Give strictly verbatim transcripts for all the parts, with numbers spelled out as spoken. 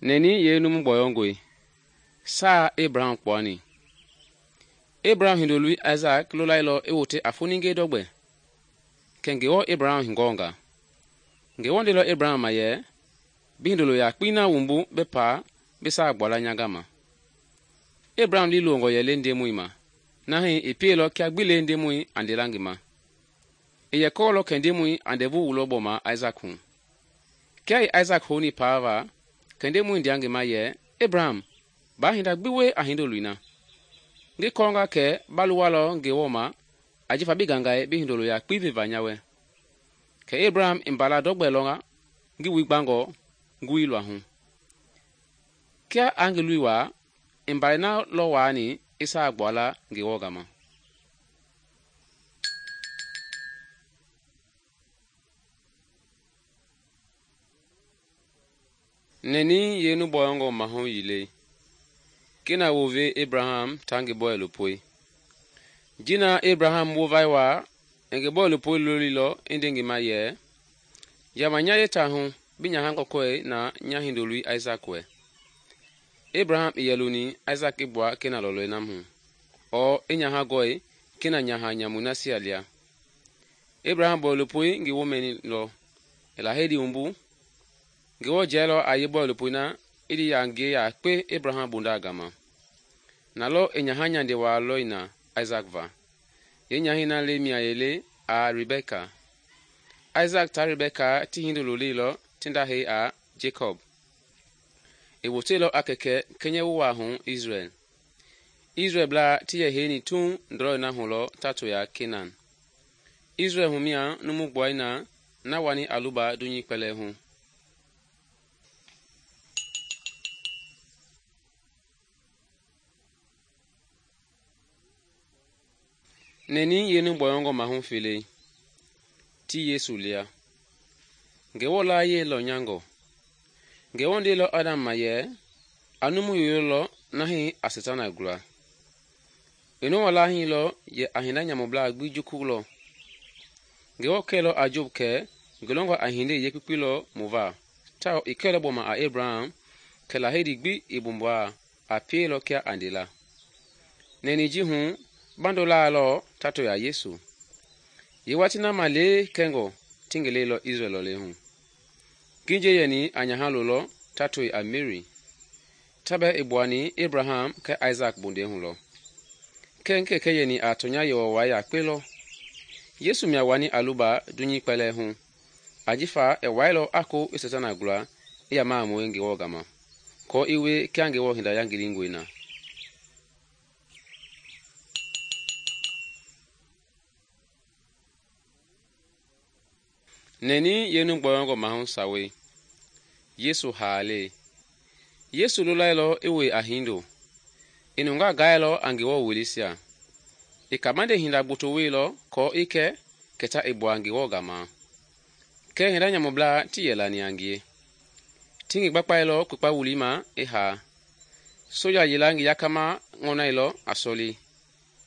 Neni ye numu gbɔyɔngɔe, saa Abraham kpuani. Abraham hindoloi Isaac lolailɔ i wote a foninge dɔgbɛ, kɛ Ngewɔ Abraham hugɔɔnga. Ngewɔ ndeilɔ Abraham ma yɛ, bi hindolo yakpei na wumbu bi paa bi saa gbuala nya gama. Abraham liilongɔ yɛ le Ndemɔi ma, na hii i pielɔ kia gbi le Ndemɔi a ndela ngi ma. I yɛ kɔɔlɔ kɛ Ndemɔi a ndɛvu wulɔ gbɔma Isaac hu. Kia i Isaac houni paava, kɛ Ndemɔi ndea ngi ma yɛ, Abraham, baa hinda gbi wie a hindoloi na. Ngi kɔɔnga kɛ ba luwalɔ Ngewɔ ma ajifa bi gangae bi hindolo yakpei veva nya wɛ. Kɛ Abraham i mbala dɔgbɛ lɔnga ngi woi gbangɔ ngowili luahu. Kia a ngi loi waa, i mbalɛi na lɔ waani i saa gbuala Ngewɔ gama. Neni ye nu bɔyɔngɔ mahu yilei. Kina wove Abraham ta ngi bɔɛ lopoi. Jina Abraham wovai waa, i ngi bɔɛ lopoi lolilɔ i nde ngi ma yɛ, yama nya yeta hu bi nyaha kɔkɔe na nya hindoloi Isaac wɛ. Abraham i yɛ loni Isaac i gbua kena lɔlɔi nam hu, ɔɔ i nyaha gɔe kena nyaha nyamui nasia lia. Abraham bɔɛ lopoi ngi wo mɛnilɔ, i lahedi wumbu. Ngewɔ jɛlɔ a ye bɔɛ lopoi na i di ya ngie yakpe Abraham bunda gama. Na lɔ i nyaha nyande waa lɔi na Isaac va. Ye nyahɛi na le mia yele a Rebeka. Isaac ta Rebeka ti hindolo leilɔ ti nda hei a Jacob. I woteilɔ a kɛkɛ kɛnyɛ wowa hu Israel. Israel blaa ti yɛ heini tuŋ ndɔlɔi na hulɔ ta to ya Kenan. Israel humia numu gbuai na na wani a luba dunyei kpɛlɛɛ hu. Neni ye nu bɔyɔngɔ mahu felei, ti Yesu lia. Ngewɔ la ye lɔ nyangɔ. Ngewɔ ndeilɔ Adam ma yɛ, a numu yoyo lɔ na hii a Setana gula. I Noa la hii lɔ yɛ a hinda nyamublaa gbi juku lɔ. Ngewɔ kɛlɔ a Job kɛ ngi lɔngɔ a hindei yekpekpe lɔ mu va, tawao i kɛlɔ gbɔma a Abraham kɛ lahedi gbi i bumbua a pieilɔ kia a ndela. Nɛni ji hu, bando laa lɔ ta to ya Yesu. Ye wati na ma lee kɛngɔ ti ngi leilɔ Israel lɔlei hu. Nginje yɛni a nyaha lolɔ ta to a Mary. Tabɛ i gbuani Abraham kɛ Isaac bunde hu lɔ. Kɛ nkɛkɛ yɛni a tonya yewɔwai yakpe lɔ. Yesu mia wani a luba dunyei kpɛlɛɛ hu. Ajifa i wailɔ a ko i Setana gula i ya maamue Ngewɔ gama, kɔɔ i wie kia Ngewɔ hinda yangilingɔe na. Neni ye nu gbɔyɔngɔ mahu sawe. Yesu haale. Yesu lolailɔ i woi a hindo. I nunga gailɔ a Ngewɔ welisia. I kamande hinda gboto weilɔ kɔɔ i kɛ kɛta i gbua Ngewɔ gama. Kɛ hinda nyamublaa ti yɛ lani a ngie. Ti ngi gbakpailɔ kpekpa wuli ma i haa. Soja yela ngi yakama ŋɔnailɔ a sɔli.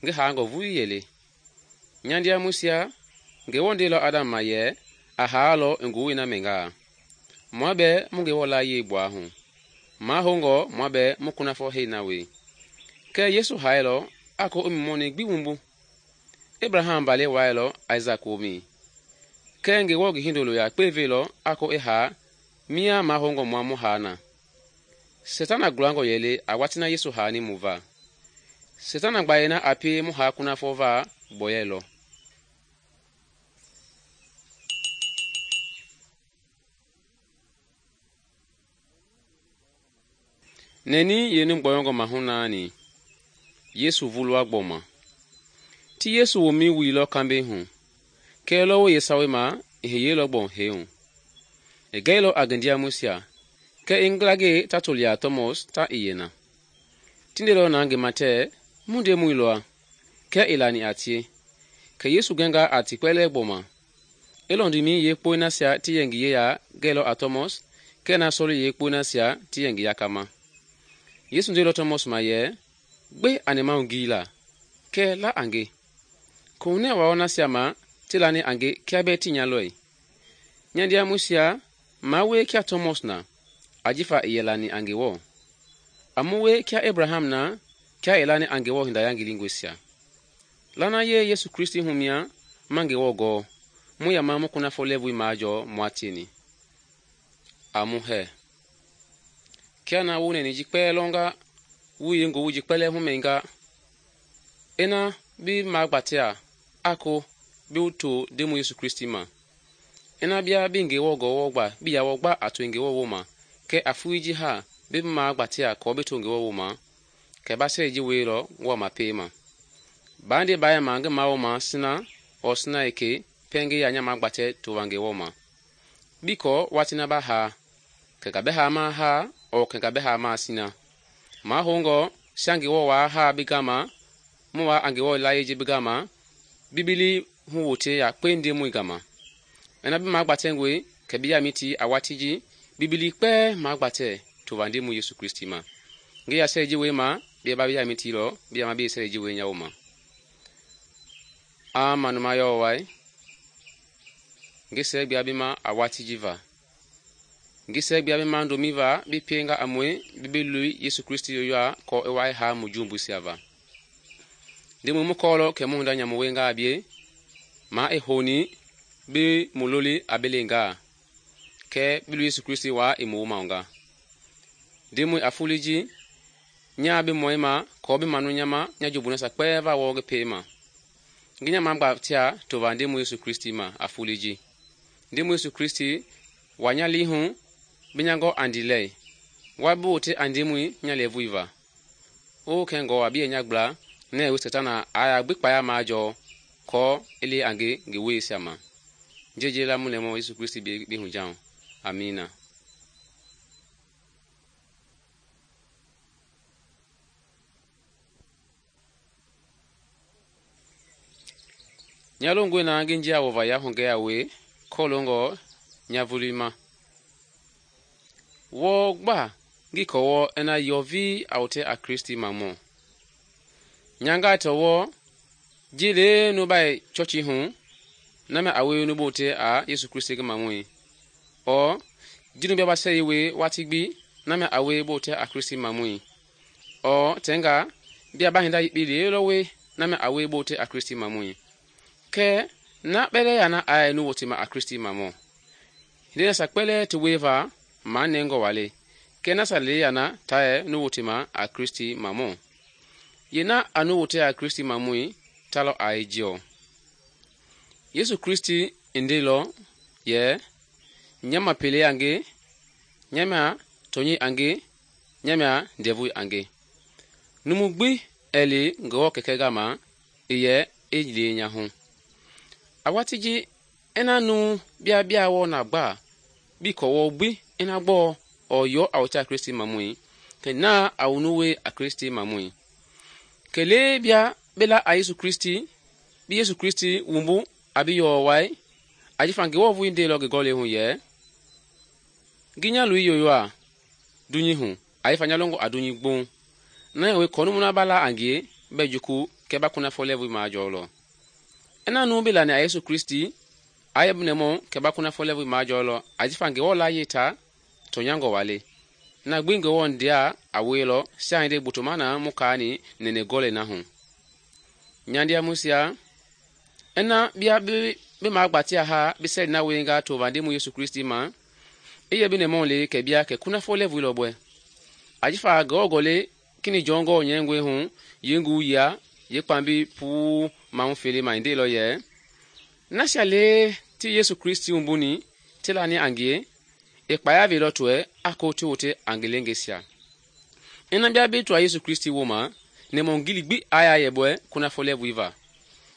Ngi haangɔ vui yele. Nyandia musia, Ngewɔ ndeilɔ Adam ma yɛ, a haalɔ ngowoi na mɛngaa. Mua bɛɛ mu Ngewɔ la yei gbua hu. Ma hongɔ mua bɛɛ mu kunafɔ hei na wei. Kɛ Yesu haelɔ a ko i mɔmɔni gbi wumbu. Abraham bale wailɔ Isaac womi. Kɛ Ngewɔ ngi hindolo yakpe velɔ a ko i haa mia ma hongɔ mua mu haa na. Setana gulangɔ yɛle a wati na Yesu haani mu va. Setana gbaye na a pie mu haa kunafɔ va bɔyɛlɔ. Neni ye nu gbɔyɔngɔ mahu naani. Yesu vulua gbɔma. Ti Yesu womi wuilɔ kambe hu. Kɛ lɔ wo ye sawe ma, i hiyeilɔ gbɔn heu. I gɛilɔ a ngendia musia. Kɛ i nglage ta to lia Thomas ta i yena. Ti ndelɔ na ngi ma tɛ, mu Ndemɔi lɔa. Kɛ i lani a tie. Kɛ Yesu gɛnga a ti kpɛlɛɛ gbɔma. I lɔndimi yekpoi nasia ti yɛ ngi yeya gɛilɔ a Thomas, kɛ na sɔli yekpoi nasia ti yɛ ngi yakama. Yesu ndeilɔ Thomas ma yɛ, gbe a nɛmahu ngii la, kɛ la a nge. Kohunɛ wawɔ nasia ma ti lani a nge kia bɛɛ ti nya lɔi. Nyandia musia, ma wie kia Thomas na, ajifa i yɛ lani a Ngewɔ. A mu we kia Abraham na kia i lani a Ngewɔ hinda yangilingɔisia. Lana ye Yesu Kristi hu mia ma Ngewɔ gɔɔ, mu yama mu kunafɔ lɛɛvui majɔɔ mua tieni. A mu hɛ. Kia na wu nɛni ji kpɛɛ lɔnga, wu ye ngowu ji kpɛlɛ humɛnga, ena bi magbatea ako bi to Ndemɔi Yesu Kristi ma. Ena bia bi Ngewɔ gɔɔ gba bi ya gba a to Ngewɔ woma, kɛ a fui ji ha bi magbatea kɔ bi to Ngewɔ woma, kɛ ba sɛ ji weilɔ wa ma pema. Bande baya ma ngi ma woma sina o sina eke penge ya nya magbatɛ to wa Ngewɔ ma. Bikɔ watina ba ha, kɛ ga bɛ ha ma ha o kɛ ga bɛ ha ma sina. Ma hongɔ sia Ngewɔ wa ha bi gama, mu wa a Ngewɔ la ye ji bi gama, bibili hu wote ya kpe Ndemɔi gama. Ena bi magbatɛngwe kɛ bi ya miti a wati ji bibili kpɛ magbatɛ to wa Ndemɔi Yesu Kristi ma. Ngi ya sɛ ji we ma bi ba bi ya miti lɔ bi ya ma bi sɛ ji we nya woma. A manuma yɔ wai. Ngi sɛ bia bi ma a wati ji va. Ngi sɛ bia bi ma ndomi va bi penga amwe bi bi lui Yesu Kristi yoyoa kɔ e wai ha mu jumbu sia va. Ndemɔi mu kɔlɔ kɛ mu hunda nyamu wenga bie ma e honi bi muloli abelenga kɛ bi lui Yesu Kristi wa e mu maunga. Ndemɔi afuliji nya bi moima kɔ bi manu nyama nya jubuna sa kpɛ va wɔ ge pema. Ngi nya magbatea to va Ndemɔi Yesu Kristi ma afuliji. Ndemɔi Yesu Kristi wa nya lihu bi nya ngɔ andilei. Wa bi wote a Ndemɔi nya levui va. O kɛngɔ wa bi nya gbla ne we Satana aya gbi kpaya ma jɔ kɔ ele ange nge we sia ma. Jeje la mu lemo Yesu Kristi bi bi hu jao. Amina. Nyalongwe na ngi njia wova ya honge ya we kolongo nyavulima. Wo gba ngi kowo ena yovi aute a Kristi mamo. Nyanga towo jile no bai chochi hu na me awe no bote a Yesu Kristi ge mamoi. O jinu bia ba sei we watigbi na me awe bote a Kristi mamoi. O tenga bia ba hinda yibi le lo we na me awe bote a Kristi mamoi. Ke na bele yana ai nu wote ma a Kristi mamo. Hinde sa kpele to weva ma nengo wale. Ke na sa le yana tae nu wote ma a Kristi mamo. Yena anu wote a Kristi mamoi talo ai jio. Yesu Kristi indelo ye nyama pele ange, nyama tonyi ange, nyama ndevui ange. Numugbi eli ngo keke gama iye ejile nyahu. Awatiji ena nu bia bia wo na gba bi ko wo gbi ena gbo oyo awuta Kristi mamui ke na awunuwe a Kristi mamui kele bia bela a Yesu Kristi bi Yesu Kristi wumbu abi yo wai ajifange wo vu inde lo ge gole hu ye ginya lu yoyo a dunyi hu aifanya longo adunyi gbon na we konu muna bala angie bejuku ke ba kuna fo level ma jolo. Ena nu bila ni a Yesu Kristi ayebnemo ke ba kuna fo level ma jolo ajifange wo la yeta to nyango wale na gbingo won dia awelo sande butumana mukani nene gole na hu nyandia musia ena bia bi bi magbatia ha bi se na wenga to vande mu Yesu Kristi ma iye bi ne monle ke bia ke kuna fo level lo bwe ajifa gogole kini jongo nyengwe hu yengu ya ye pambi pu ma mfele ma inde lo ye na shale ti Yesu Kristi umbuni tilani angie e kpaya velo tue akoti wote angelengesia ena bia bi to Yesu Kristi woma ne mongili gbi aya yebwe kuna fo level iva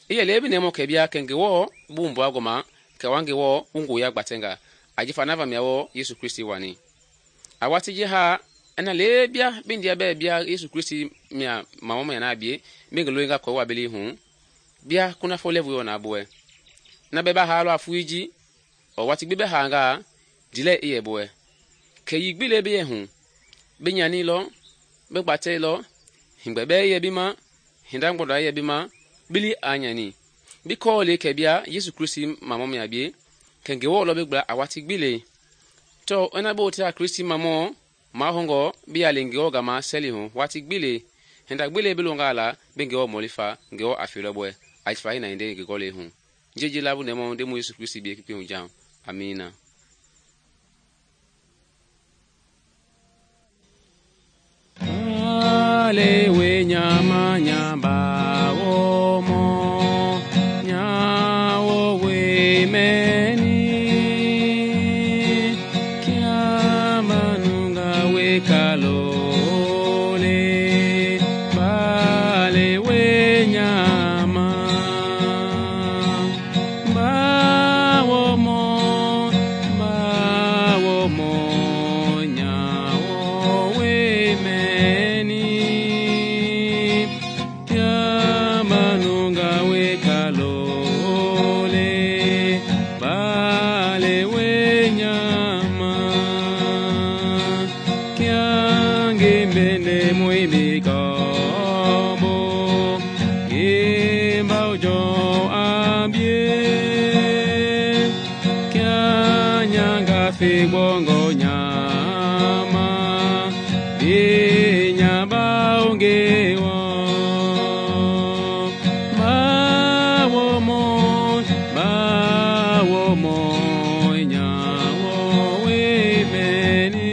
iye lebi ne mo ke bia kenge wo bumbu agoma ke wange wo ungu ya gbatenga ajifa nava miawo Yesu Kristi wani awati je ha ena lebia bindia be bia Yesu Kristi mia mama ya na bie mingelo nga ko wa beli hu bia kuna fo level yo na boe na beba ha lo afuiji o wati gbe be hanga dile iye boe ke yigbi lebe ye hu benyani lo be gbate lo hingbebe ye bima hindangbodo ye bima bili anyani biko le ke bia Yesu Kristi mama ya bie kenge wo lo be gba awati gbile to ena bo tia Kristi mamo ma hongo bi ya lengeo gama seli hu wati gbile henda gbile bilonga la bengeo molifa ngeo afilo boy aifa ina inde ngegole hu jeje labu nemo de mu Yesu Kristi bi ekipi hu jam. Amina. Ale nyama nyamba omo nyawo we meni kia manunga we kalole bale we nyama bawo mo bawo mo nyawo we meni kia manunga we kalole bale we nyama kia ngembene muibi kobo gimbao jo abie kia nyanga fi bongo nyama bi nyabao ngewo bawo mo bawo mo nyawo we meni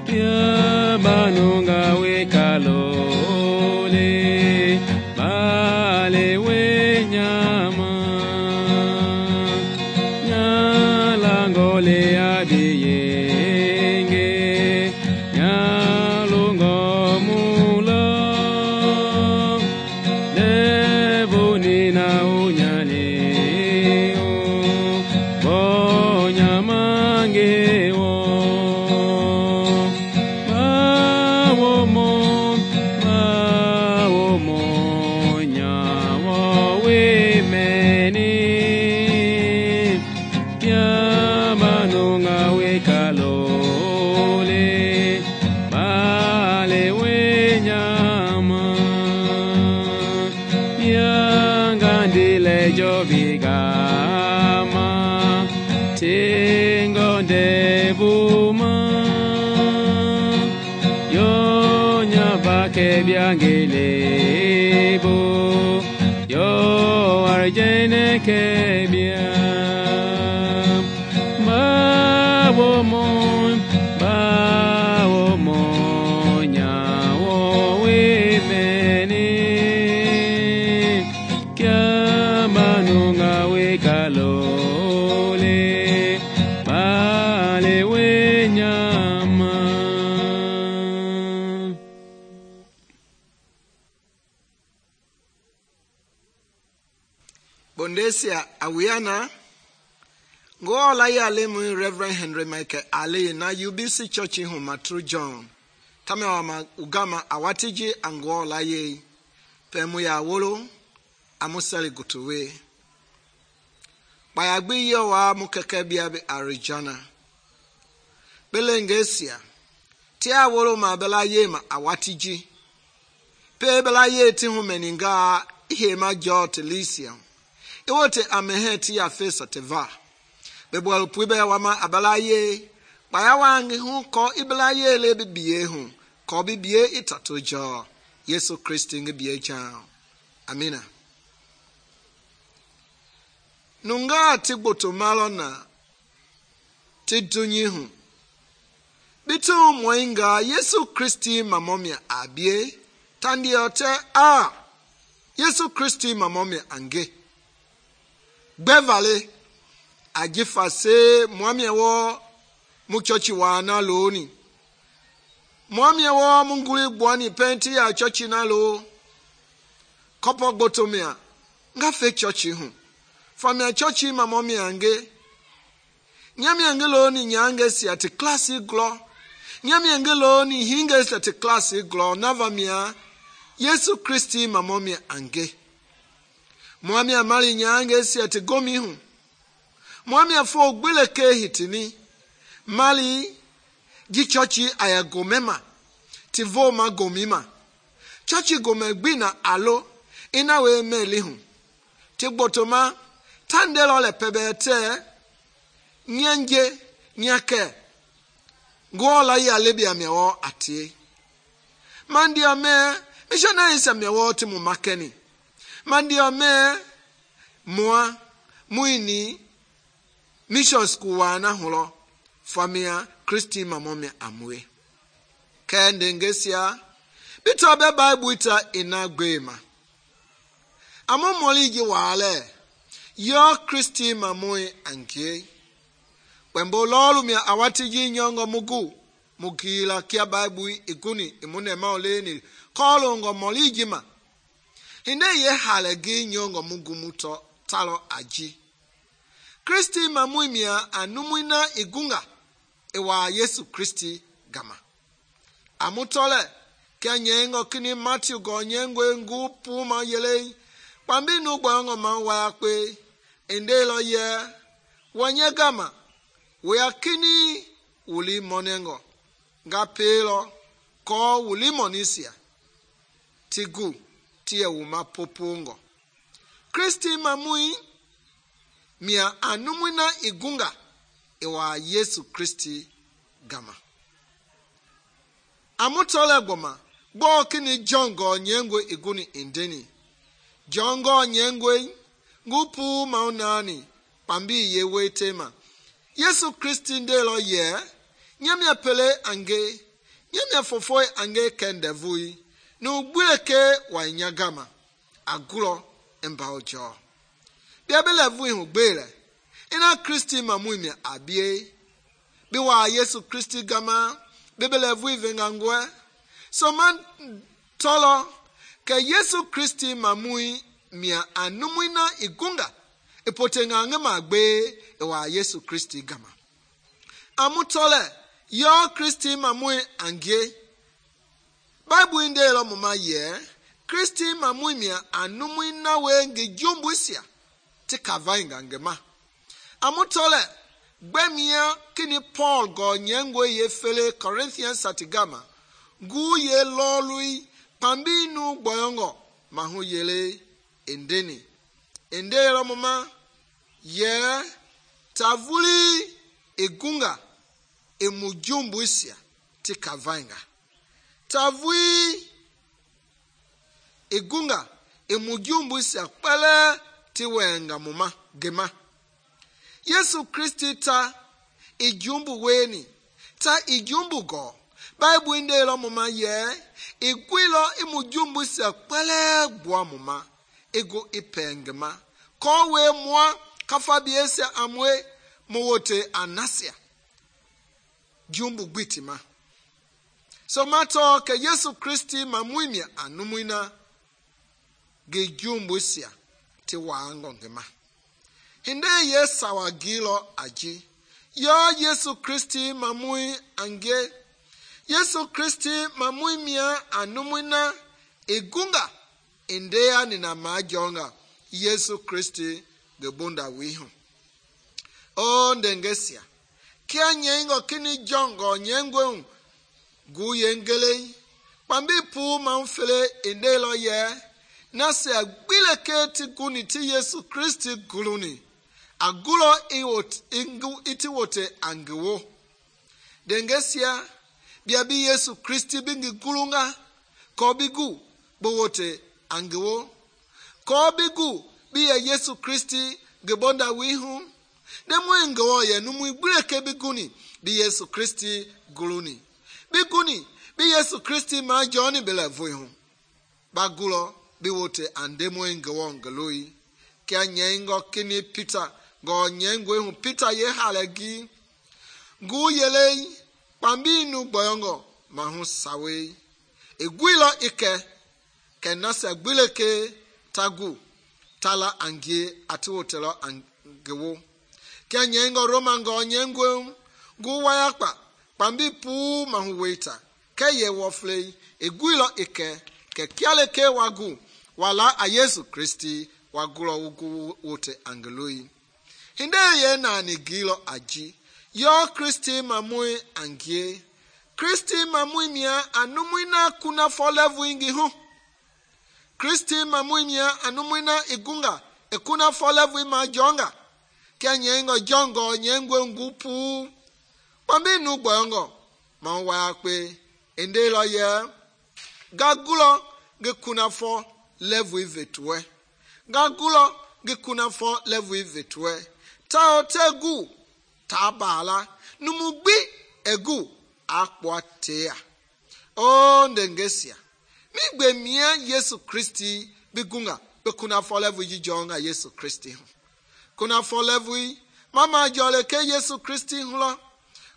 kia manunga we kalole bale we nyama nyalangole abiyenge nyalungo mulo devuni na unyale bo nyamangewo bawo mo bawo mo nyawo we meni kia manunga we kalole bale we nyama yangandile jobigama tingo ndebuma yo nyabake byangelebo yo arjene kebia bawo mo bawo mo nyawo we meni kia manunga we kalole bale we nyama. Bondesia awiana Go la ya le mu Reverend Henry Michael Ale na U B C Church hu Matru John. Tame wa ma ugama awatiji ango la ye. Pemu ya wolo amusali gutuwe. Bayagbi yo wa mukeke bia be Arijana. Belengesia. Tia wolo ma bela ye ma awatiji. Pe bela ye ti hu meninga ihe ma jo telisia. Iwote amehe ti ya fesa teva. Bebwal pwibe wama abalaye baya wangi hu ko ibalaye le bibiye hu ko bibiye itato jo Yesu Kristi nge biye jao. Amina. Nunga ti gboto malo na ti dunyi hu bitu mwenga Yesu Kristi mamomia abie tandi ote a Yesu Kristi mamomia ange Bevale ajifa se mwami wo muchochi wana loni mwami wo munguli bwani penti ya chochi na lo kopo gbotomia nga fe chochi hu famia chochi mamomi ange nyami ange loni nyange si ati klasi glo nyami ange loni hinge si ati klasi glo navamia Yesu Kristi mamomi ange mwami amali nyange si ati gomi hu Mwami afo gbele ke hitini mali ji chochi aya gomema ti voma gomima chochi gome gbina alo ina we meli hu ti gbotoma tandelo le pebete nyanje nyake ngola ya lebia mewo atie mandia me missionary sa mewo ti mu makeni mandia me moa muini mission school wana holo famia Christi mamome amwe kende ngesia bito be bible ita inagbema amo moliji wale yo Christi mamoy anke wembo lolu mi awati ji nyongo mugu mugila kia bible iguni imune maoleni kolongo moliji ma hinde ye halegi nyongo mugu muto talo aji Christi mamoy mia anumuina igunga ewa Yesu Christi gama amutole kia nyengo kini Matthew go nyengwe ngu puma yele pambi nu gbango ma wa pe endelo ye wanye gama we akini uli monengo nga pelo ko uli monisia tigu tie uma popungo Christi mamui mia anumuna igunga ewa Yesu Christi gama amutole gboma gbo kini jongo nyengwe iguni indeni jongo nyengwe ngupu maunani pambi yewe tema Yesu Christi ndelo ye nyamia pele ange nyamia fofoy ange kendevui no gbuleke wa nyagama agulo embaojo biabele vui hu gbele ina Christi mamuimia abie biwa Yesu Christi gama bibele vui vengangwe so man tolo ke Yesu Christi mamui mia anumuina igunga ipotenga ngema gbe ewa Yesu Christi gama amutole yo Christi mamui ange Bible inde lo mama ye Christi mamui mia anumuina wenge jumbusia ti kavainga ngema amutole gbemia kini Paul go nyengwe ye fele Corinthians satigama gu ye lolui pambinu gboyongo mahu yele endeni endelo mama ye tavuli egunga emujumbusia ti kavainga tavui egunga emujumbusia pele ti wenga mama gema Yesu Christi ta ijumbu weni ta ijumbu go Bible indelo mama ye igwilo imujumbu se kwele gwa mama ego ipengema kowe mwa kafabiese amwe mowote anasia jumbu gwitima so mato ke Yesu Christi mamuimia anumuina ge jumbu sia ti wango ngema hinde yesa wagilo aji yo Yesu Christi mamui ange Yesu Christi mamui mia anumuina egunga indea nina majonga Yesu Christi gebunda wihu o ndengesia kia nyengo kini jongo nyengwe gu yengele pambi pu manfele indelo ye nase agbileke ti guni ti Yesu Christi guluni agulo iwot ingu itiwote angewo dengesia biabi Yesu Christi bingi gulunga ko bigu bowote angewo ko bigu biya Yesu Christi gebonda wihu demwe ngawo ye numu igbuleke biguni bi Yesu Christi guluni biguni bi Yesu Christi ma joni bele voihu bagulo biwote andemwe ngawo ngaloi kya nyengo kini Peter go nyengwe hu Peter ye halegi gu yele pambinu boyongo mahu sawe egwilo ike kenasa gbileke tagu tala angie atiwotelo angewo kya nyengo Roma go nyengwe gu wayakpa pambi pu mahu waita ke ye wofle egwilo ike ke kyale ke wagu wala a Yesu Christi wagulo wugu wote angeloi hinde ye na ni gilo aji yo Christi mamui angie Christi mamui mia anumuina kuna folevu ingi hu Christi mamui mia anumuina igunga ekuna folevu ma jonga kia nyengo jongo nyengwe ngupu pambi nu gboyongo ma wa pe ende lo ye gagulo ge kuna fo level vetwe gagulo ge kuna fo level vetwe ta otegu ta bala numugbi egu akwatea o ndengesia mi gbe mia Yesu Kristi bigunga be kuna fo level ji jonga Yesu Kristi kuna fo level mama jole ke Yesu Kristi hulo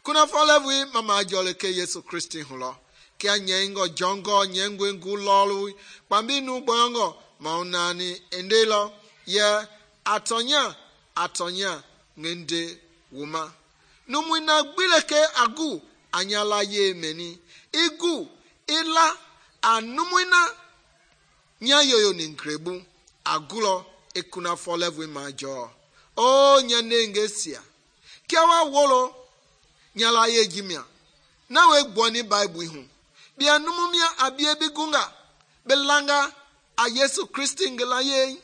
kuna fo level mama jole ke Yesu Kristi hulo kia nyengo jongo nyengwe ngulolu pambi nu bongo maunani endelo ye atonya atonya ngende wuma numwina gbileke agu anyala ye meni igu ila anumwina nyayoyo ninkrebu agulo ekuna fo level majo o nyenengesia kiawa wolo nyala ye jimia na we gboni bible hu bia numumia abie bigunga belanga a Yesu Kristi ngela ye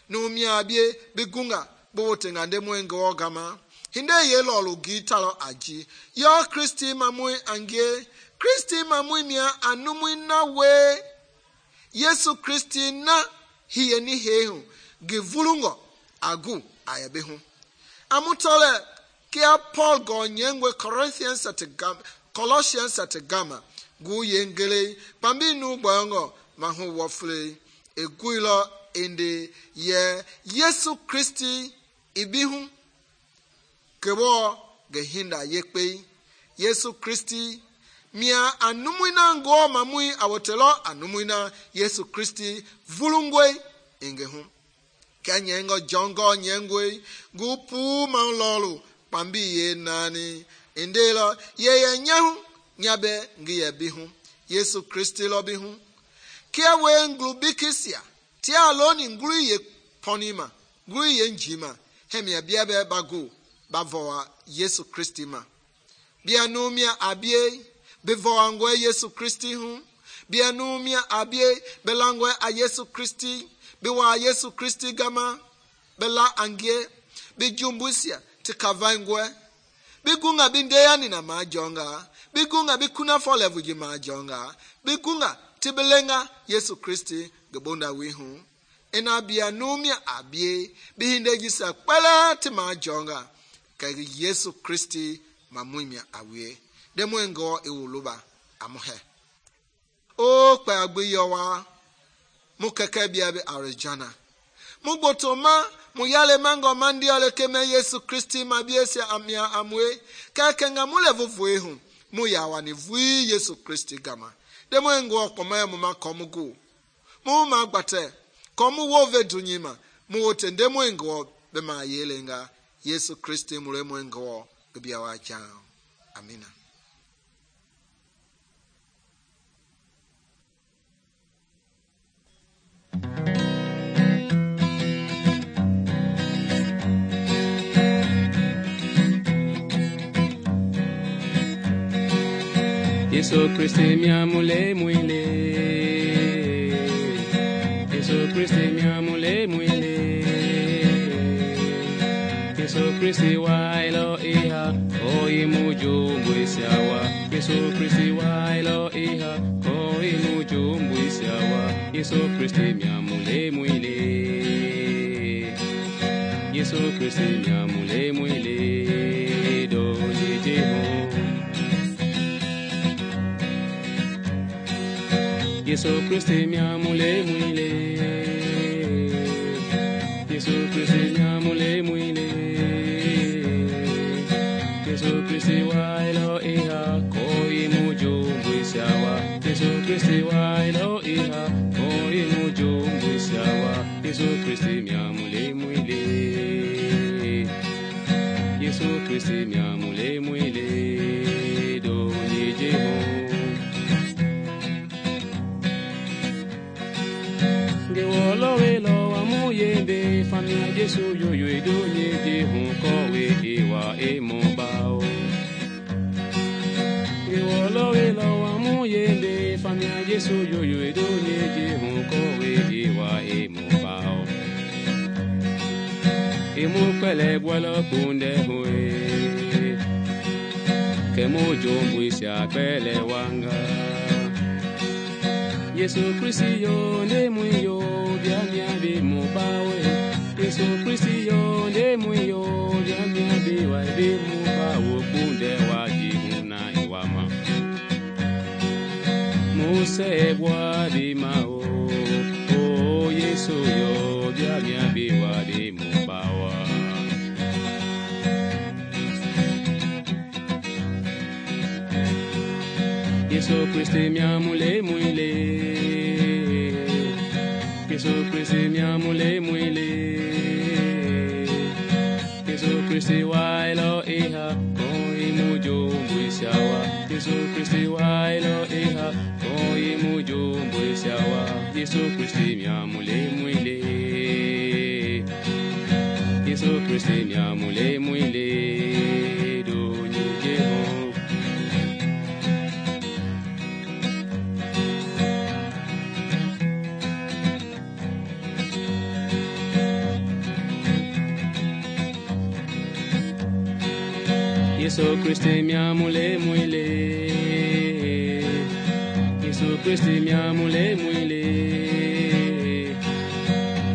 numumia abie bigunga bo tengande mwengo gama hinde ye lolu gitalo aji yo Kristi mamui angie Kristi mamui mia anumui na we Yesu Kristi na hiye ni hehu givulungo agu ayabehu amutole kia Paul go nyengwe Corinthians at gama Colossians at gama gu yengele pambi nu bongo mahu wofle eguilo ende ye Yesu Kristi ibihu kebo gehinda yekpe Yesu Kristi mia anumuina ngo mamui awotelo anumuina Yesu Kristi vulungwe ingehu kanyengo jongo nyengwe gupu manlolu pambi ye nani indelo ye ye nyahu nyabe ngiye bihu Yesu Kristi lo bihu kia we nglubikisia tia aloni ngru ye ponima ngru ye njima hemia biabe bagu bavoa Yesu Kristi ma bianumia abie bevoa ngwe Yesu Kristi hu bianumia abie belangwe a Yesu Kristi bewa Yesu Kristi gama bela angie bijumbusia tikavangwe bigunga bindeyani na majonga bigunga bikuna fo level ji majonga bigunga tibelenga Yesu Kristi gebonda wihu ena bia numia abie bihindeji sa kpala ti majonga ka Yesu Kristi mamumia awie demwengo ewuluba amuhe o pa agbiyowa mukeke bia be arjana mugbotoma muyale mango mandi ole keme Yesu Kristi mabiesi amia amwe ka kenga mule vuvue hu muyawa ni vui Yesu Kristi gama demwengo okoma mu makomugu mu magbate komu wo vedunyima mu wote demwengo be ma yelenga Yesu Kristi mule mwengo bibia wa chao amina. Yesu Kristi miamule mwile Yesu Kristi miamule mwile Yesu Kristi wailo iha oi mujumbu isiawa Yesu Kristi wailo iha oi mujumbu isiawa Yesu Kristi miamule mwile Yesu Kristi miamule mwile do jejeho Yesu Kristi miamule mwile Yesu Kristi miamule mwile Yesu Kristi wailo iha koi mujumbu isiawa Yesu Kristi wailo iha koi mujumbu isiawa Yesu Kristi miamule mwile Yesu Kristi miamule mwile do jejeho Gewolo welo wa muyembe famia Yesu yoyo edonye de hunkowe ewa emobao Gewolo welo wa muyembe famia Yesu yoyo edonye de hunkowe ewa emobao mu pele bwalo kunde hoe ke mu jombu sia pele wanga Yesu Kristi yo ne mu yo bia mia be mu bawe Yesu Kristi yo ne mu yo bia mia be wa be mu bawo kunde wa ji na iwama mu se bwa di ma o o Yesu yo bia mia be wa be mu bawa Yesu Kristi mia mule muile Yesu Kristi mia mule muile Yesu Kristi wailo iha koi mujo mbuishawa Yesu Kristi wailo iha koi mujo mbuishawa Yesu Kristi mia mule muile Yesu Kristi mia mule muile do nyeho Yesu Kristi mia mule muile Yesu Kristi mia mule muile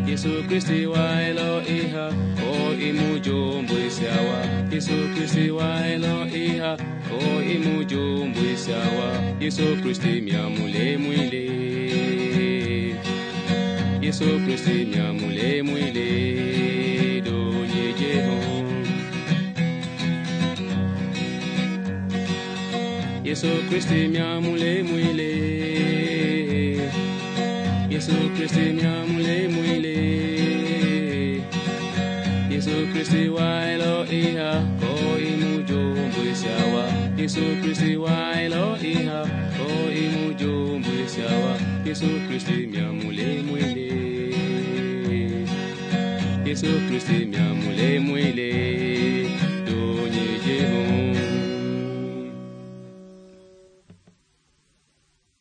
Yesu Kristi wailo iha o imujo mbuishawa Yesu Kristi wailo iha o imujo mbuishawa Yesu Kristi mia mule muile Yesu Kristi mia mule muile do nyejeho Yesu Kristi mia mule muile Yesu Kristi mia mule muile Yesu Kristi wailo iha ko imujo mbuishawa Yesu Kristi wailo iha ko imujo mbuishawa Yesu Kristi mia mule muile Yesu Kristi mia mule muile do nyejeho